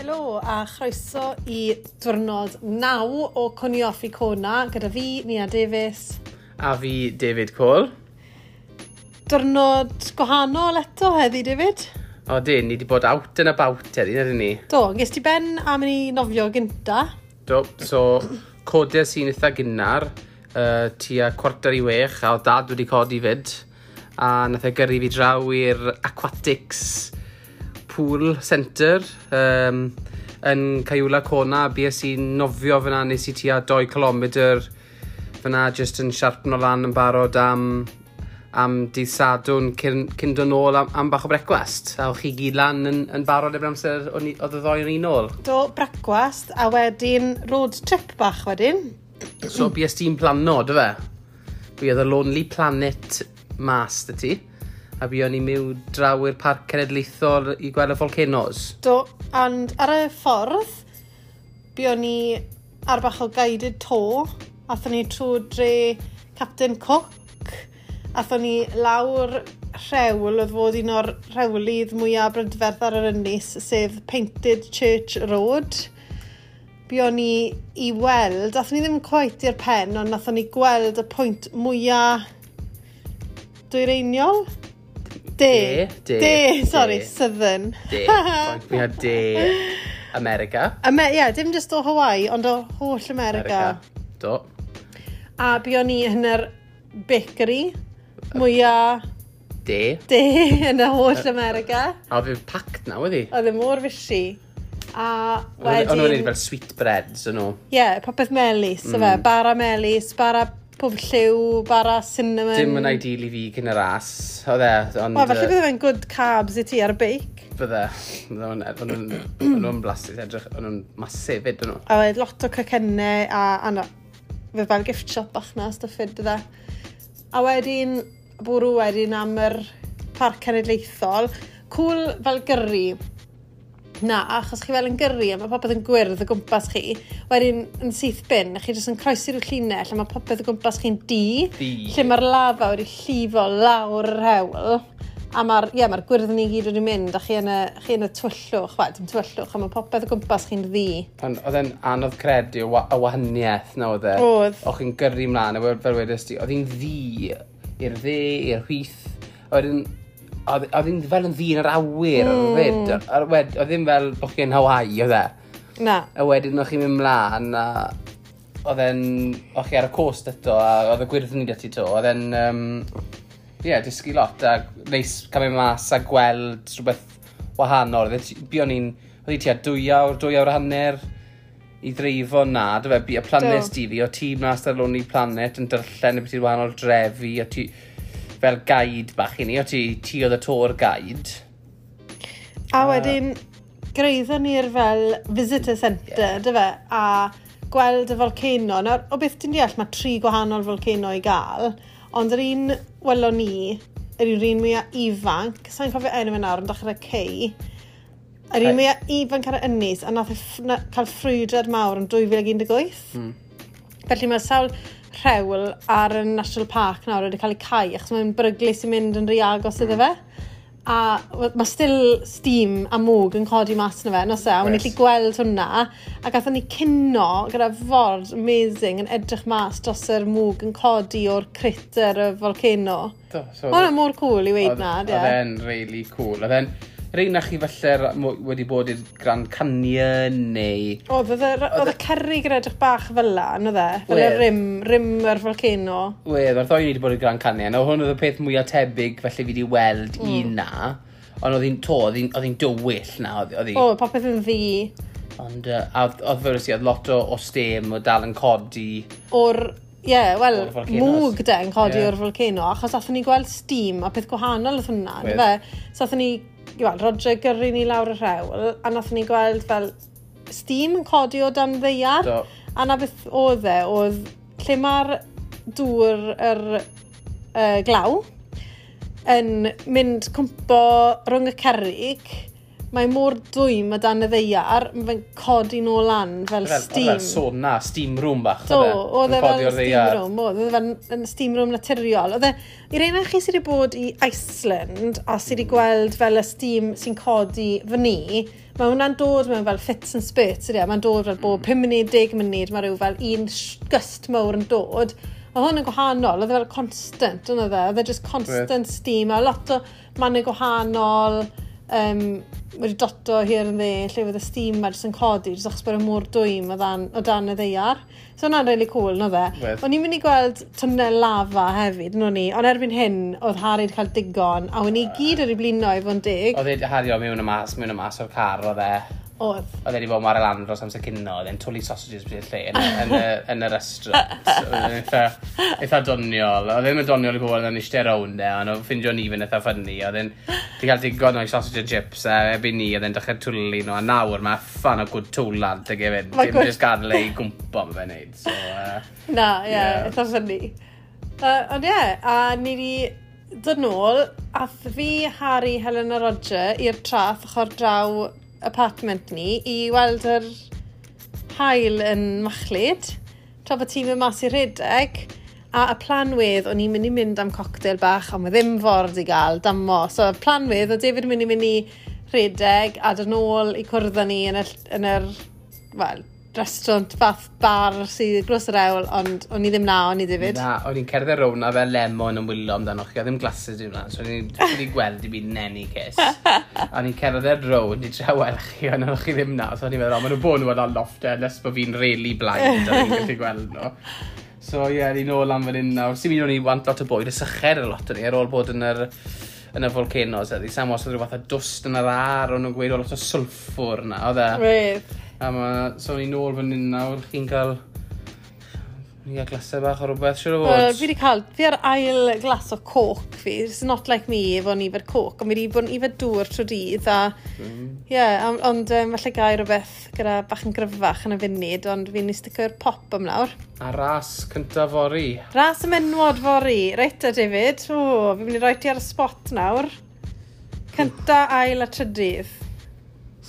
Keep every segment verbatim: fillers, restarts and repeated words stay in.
Helo a chroeso i diwrnod naw o Cwni Off i Kona gyda fi, Nia Davies. A fi, David Cole. Diwrnod gwahanol eto heddi, David. O, dyn, ni wedi bod out and about heddi, na dyn ni? Do, ges ti ben am i ni nofio gynta. Do, so codes i'n eitha gynnar, uh, tua cwarter i wech, a oedd dad wedi codi fyd, a nath e gyrru fi draw i'r Aquatics Pool Centre um, yn Kailua Kona. Bues i'n nofio fyna, nes i tua dwy kilometr fyna, just yn siarpno lan yn barod am, am dydd Sadwrn cyn, cyn dod nôl am, am bach o brecwast. A o'ch chi gyd lan yn, yn barod erbyn amser o'n i- oedd y ddoi o'n un nôl. Do, brecwast, a wedyn road trip bach wedyn. So bues ti'n plano, dy fe? Buodd y Lonely Planet mas dy ti. A buon ni mewn draw i'r Parc Cenedlaethol i gweld y volcanoes. Do, and ar y ffordd, buon ni ar bach o guided tour. Athon ni trwy dre Captain Cook. Athon ni lawr rhewl, oedd fod un o'r rhewlydd mwyaf brydferth ar yr ynys, sef Painted Church Road. Buon ni i weld, athon ni ddim quite i'r pen, ond nathon ni gweld y pwynt mwyaf dwyreiniol? De. De, de, De, sorry, de. Southern. De. Pwynt mwyaf de America. Ame, yeah, dim just o Hawaii, ond o holl America. America. Do. A buon ni yn yr bakery mwyaf De. de yn y holl America. A oedd e'n packed na, wedi? Oedd e mor fishy. A O'n nhw'n wedyn fel sweet breads, o'n nhw. Ie, yeah, popeth melys, mm. fe. Bara melys, bara pob lliw, bara cinnamon. Dim yn ideal i fi cyn y ras, oedd e, ond Wel, falle yy, bydde fe'n good carbs i ti ar y beic. Bydde. Bydde O'n nhw'n nhw'n blasus edrych, o'n nhw'n massive fyd, o'n nhw. A oedd lot o cacennau a, a no, fe fel gift shop bach na, stuff fyd, bydde. A wedyn, bwrw wedyn am yr Parc Cenedlaethol. Cool fel gyrru. Na, achos chi fel yn gyrru a mae popeth yn gwyrdd o gwmpas chi. Wedyn, yn syth bin, chi jyst yn croesi rhyw llinell a mae popeth o gwmpas chi'n du. Du. Lle mae'r lafa wedi llifo lawr yr hewl. A mae'r yeah, mae'r gwyrddni i gyd wedi mynd a chi yn y, chi yn y tywyllwch, wel, dim tywyllwch, a mae popeth o gwmpas chi'n ddu. Ond oedd e'n anodd credu y wa- y wahaniaeth na oedd e. Oedd. O'ch chi'n gyrru mlaen, a fel fel wedys ti, oedd hi'n ddu i'r dde, i'r chwith. A wedyn, oedd oedd hi'n fel yn ddu yn yr awyr mm. fyd. A wed, oedd ddim fel bod chi'n Hawaii, oedd e. Na. A wedyn o'ch chi'n mynd mlaen, a oedd e'n, o'ch chi ar y coast eto, a oedd y gwyrddni 'da ti to, oedd e'n, um, ie, yeah, dysgu lot, a neis cael mynd mas a gweld rhywbeth wahanol. Oedd e ti- buon ni'n, oedd hi tua dwy awr, dwy awr a hanner i ddreifo na, dy fe, bu- y planes Do. di fi, o ti mas ar Lonely Planet yn darllen y beth i'r wahanol drefi, o ti fel guide bach i ni, o ti, ti oedd y tour guide. A wedyn, gyrhaeddon ni'r fel visitor centre, yeah. dy fe, a gweld y volcano. Nawr, o beth ti'n deall, mae tri gwahanol volcano i gael, ond yr un welon ni, yr un mwyaf ifanc, sa'n cofio enw fe nawr, yn dechrau K, yr un K. mwyaf ifanc ar y ynys, a nath e ff- na, cael ffrwydrad mawr yn dwy fil un deg wyth. Mm. Felly mae sawl rhewl ar y National Park nawr wedi cael ei cau, achos mae'n beryglus i mynd yn rhy agos iddo fe. A w- mae still steam a mwg yn codi mas na fe, nos e, a o'n i'n Oes. gallu gweld hwnna. A gathon ni cino gyda ford amazing yn edrych mas dros yr mwg yn codi o'r crater y volcano. Do, so Mae hwnna mor cool i weid na, Oedd ie. oedd e'n really cool. Oedd e'n, rei na chi falle mo- wedi bod i'r Grand Canyon neu Oedd oedd y- oedd y cerrig yn edrych bach fel la, yn oedd e? Fel y Wedd. rim, rim yr volcano. Wedd, mae'r ddoi ni wedi bod i'r Grand Canyon. O, hwn oedd y peth mwyaf tebyg felly fi wedi weld mm. un na. Ond oedd hi'n to, oedd hi'n oedd hi'n dywyll na. Oedd oedd hi. O, popeth yn ddu. Ond uh, a oedd, oedd fel oedd lot o, o steam o dal yn codi. O'r, ie, yeah, wel, O'r volcanoes. mwg de yn codi Ie. o'r volcano, achos athon ni gweld steam a peth gwahanol oedd hwnna, Wedd. fe? So athon ni, wel, Roger gyrru ni lawr y rhewl, a nathon ni gweld fel steam yn codi o dan ddaear. Do. A na beth oedd e, oedd lle mae'r dŵr yr uh, glaw yn mynd cwmpo rhwng y cerrig, Mae mor dwym o dan y ddaear, mae fe'n codi nôl lan fel, Fel, steam. Fel sauna, steam room bach. Do, oedd e Yn codi fel o'r steam ddaear. room, oedd e fel yn steam room naturiol. Oedd e, i rei chi sydd wedi bod i Iceland a sydd wedi gweld fel y steam sy'n codi fyny, mae hwnna'n dod mewn fel fits and spurts, ydy e? Mae'n dod fel bob pum munud, deg munud, mae rhyw fel un sh- gust mawr yn dod. Oedd hwn yn gwahanol, oedd e fel constant, oedd e? Oedd e just constant steam, a lot o mannau gwahanol, um, wedi doto here and there, lle oedd y steam ma jyst yn codi, jyst achos bod e mor dwym o dan, o dan y ddaear. So hwnna'n really cool, no dde? Wedd. O'n i'n mynd i gweld twnnel lava hefyd, no ni, ond erbyn hyn, oedd Harry wedi cael digon, a o'n i gyd wedi blino i fod yn deg. Oedd e Harry o mewn y mas, mewn y mas o'r car, oedd e. Oedd. Oedd e wedi bod ar y lan dros amser cinio, oedd e'n twlu sausages bryd y lle yn, y- yn, y, yn y restaurant. Oedd e'n eitha, eitha doniol. Oedd e ddim yn doniol i bobl oedd yn eistedd rownd e, ond oedd ffindio ni fe'n eitha funny. Oedd e'n di cael digon o'i sausage and chips, a erbyn ni oedd e'n dechrau twlu nhw, a nawr mae ffan o good twlad ag e fyd. Ma' Dim good- jyst gadael ei gwmpo ma fe'n neud. So, uh, Na, ie, yeah, Ie. eitha funny. Uh, ond ie, yeah, a ni wedi dod nôl, ath fi, Harry, Helen a Roger i'r traeth ochr draw apartment ni i weld yr haul yn machlud, tra bod ti'n mynd mas i redeg, a y plan wedd, o'n i'n mynd i mynd am cocktail bach, ond mae ddim ffordd i gael, damo. So y plan wedd, oedd David yn mynd i mynd i redeg a dod nôl i cwrdd â ni yn y, yn yr, wel, restaurant fath bar sydd glos yr ewl, ond o'n i ddim na, o'n i David. Na, o'n i'n cerdded rownd a fel lemon yn wylo amdano chi, a ddim glasses dim lan, so o'n i'n wedi gweld i byd yn any case. A o'n i'n cerdded rownd i trio weld chi, ond o'ch chi ddim na, so o'n i'n meddwl, o, maen nhw bod nhw yn loft e, unless bod fi'n really blind, a fi'n gallu gweld nhw. So ie, yeah, ni'n ôl am fan hyn nawr. Sy'n mynd o'n i want lot o bwyd, y syched a lot o'n i, ar ôl bod yn yr, yn y volcanoes, eddi. Sam os oedd rhyw fath o dwst yn yr ar, o'n nhw'n gweud o lot o sulfur na, oedd e. Wedd. A ma, so ni'n nôl fan hyn nawr, chi'n cael... Ni'n cael glasau bach o rhywbeth, siwr o Wel, fod. fi wedi cael, fi ar ail glas o coke fi. It's not like me efo ni yfed coke, ond fi wedi bod yn yfed dŵr trwy dydd a... Ie, yeah, ond um, falle gai rhywbeth gyda bach yn gryfach yn y funud, ond fi'n i stico i'r pop am nawr. A ras cyntaf fory. Ras y menwod fory. Reit 'te, David. O, fi'n mynd i roi ti ar y spot nawr. Cynta, ail a trydydd.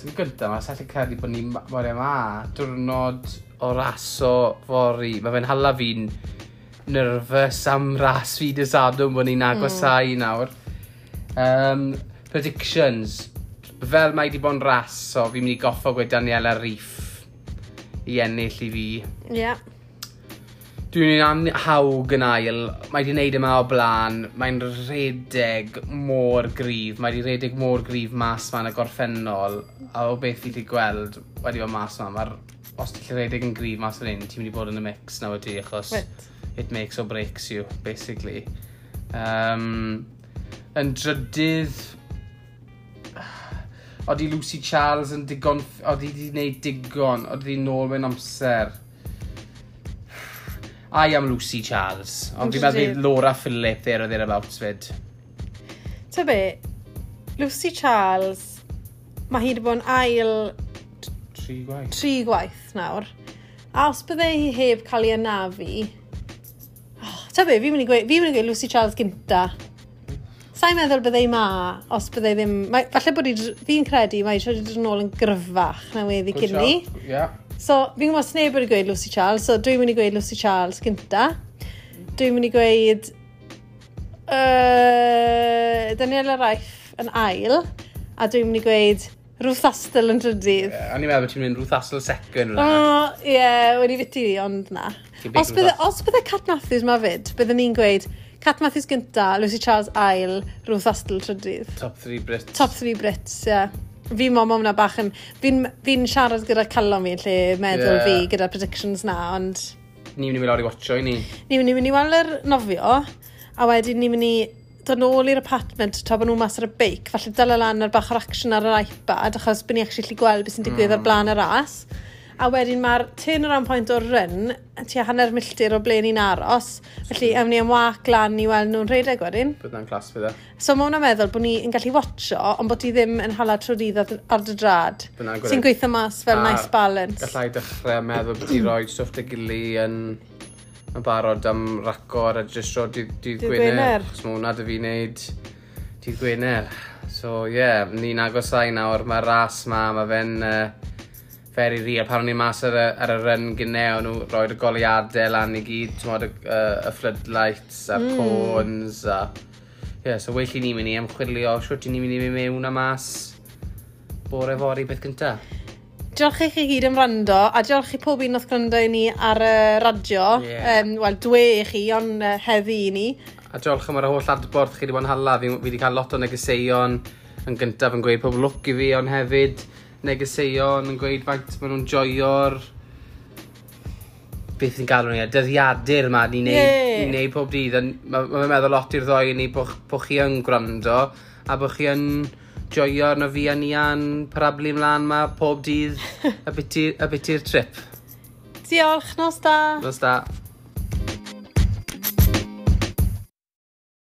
Sy'n gyntaf, mae sa'n credu bod ni mor yma. Diwrnod o raso fory. Mae fe'n hala fi'n nervous am ras fi dy Sadwrn bod ni'n agosau mm. nawr. Um, predictions. Fel mae wedi bod yn ras, so fi'n mynd i goffo gweud Daniela Ryf i ennill i fi. Ie. Yeah. Dwi'n am Haug yn ail, mae wedi wneud yma o blaen, mae'n redeg mor gryf, mae wedi redeg mor gryf mas ma yn y gorffennol, a o beth fi wedi gweld wedi bod mas ma, mae'r, os ti'n redeg yn gryf mas fan hyn, ti'n mynd i bod yn y mix nawr ti, achos Reit. it makes or breaks you, basically. Um, yn drydydd, Odi Lucy Charles yn digon, odi wedi gwneud digon, odi di nôl mewn amser. I am Lucy Charles. Ond Yn fi'n meddwl bydd drydydd. Laura Philip there or thereabouts fyd. Ta be, Lucy Charles, mae hi wedi bod yn ail Tri gwaith. tri gwaith nawr. A os bydde hi heb cael ei anafu... Oh, ta be, fi'n mynd i gweud, fi'n mynd i gweud Lucy Charles gynta. Sa'n meddwl bydde hi ma, os bydde hi ddim... Mae, falle bod hi, fi'n credu mae hi wedi dod yn ôl yn gryfach na weddi cyn ni. Yeah. So, fi'n gwybod sneb wedi gweud Lucy Charles, so dwi'n mynd i gweud Lucy Charles gynta. Dwi'n mynd i gweud uh, Daniela Ryf yn ail, a dwi'n mynd i gweud Ruth Astle yn drydydd. Yeah, o'n i'n meddwl bod ti'n mynd Ruth Astle second. O, Oh. ie, yeah, wedi fiti fi, ond na. Ti'n big Os bydde, Ruth os bydde Cat Matthews ma fyd, bydden ni'n gweud Cat Matthews gynta, Lucy Charles ail, Ruth Astle trydydd. Top three Brits. Top three Brits, ie. Yeah. Fi mo, ma hwnna bach yn... Fi'n fi siarad gyda calon fi yn lle meddwl Ie. yeah. fi gyda predictions na, ond Ni'n mynd i mynd lawr i watcho i ni. ni'n mynd i mynd i weld yr nofio, a wedyn ni'n mynd i dod nôl i'r apartment tra bod nhw mas ar y beic, falle dala lan ar bach o'r action ar yr iPad, achos bod ni actually gallu gweld beth sy'n digwydd mm. ar blaen y ras. A wedyn mae'r turnaround point o'r run, tua hanner milltir o ble ni'n aros. Felly, ewn ni am wac lan i weld nhw'n rhedeg wedyn. Bydd na'n class fydd e. So mae hwnna'n meddwl bod ni yn gallu watcho, ond bod ti ddim yn hala trwy dydd ar, ar dy drad. Bydd hwnna'n Sy'n gweithio mas fel A nice balance. Gallai dechrau meddwl bod ti roi stwff dy gili yn, yn barod am raco a registro dydd, dydd Dydd Gwener. Gwener. Achos mae hwnna dy fi wneud dydd Gwener. So, ie, yeah, ni'n agosau nawr, mae'r ras ma, mae fe'n uh, very real. Pan o'n i'n mas ar y, ar y run gynne, o'n nhw roi'r goleuadau lan i gyd, ti'n y, y, y floodlights a'r mm. cones a... Ie, yeah, so well i ni'n mynd i ymchwilio shwt i ni'n mynd i mynd mewn a mas bore fory beth gynta. Diolch i chi gyd am wrando, a diolch i pob un oedd gwrando i ni ar y radio. Ie. Um, Wel, dwe i chi, ond uh, heddi i ni. A diolch am yr holl adborth chi wedi bod yn hala. Fi, fi wedi cael lot o negeseuon yn gyntaf yn gweud pob lwc i fi, ond hefyd negeseuon yn gweud faint maen nhw'n joio'r beth ni'n galw ni, y dyddiadur yma ni'n neud, Ie. ni'n neud pob dydd. A Mae ma meddwl lot i'r ddoi ni bod bo chi yn gwrando a bod chi yn joio arno fi a Nia'n parablu ymlaen ma pob dydd a biti'r trip. Diolch, nos da. Nos da.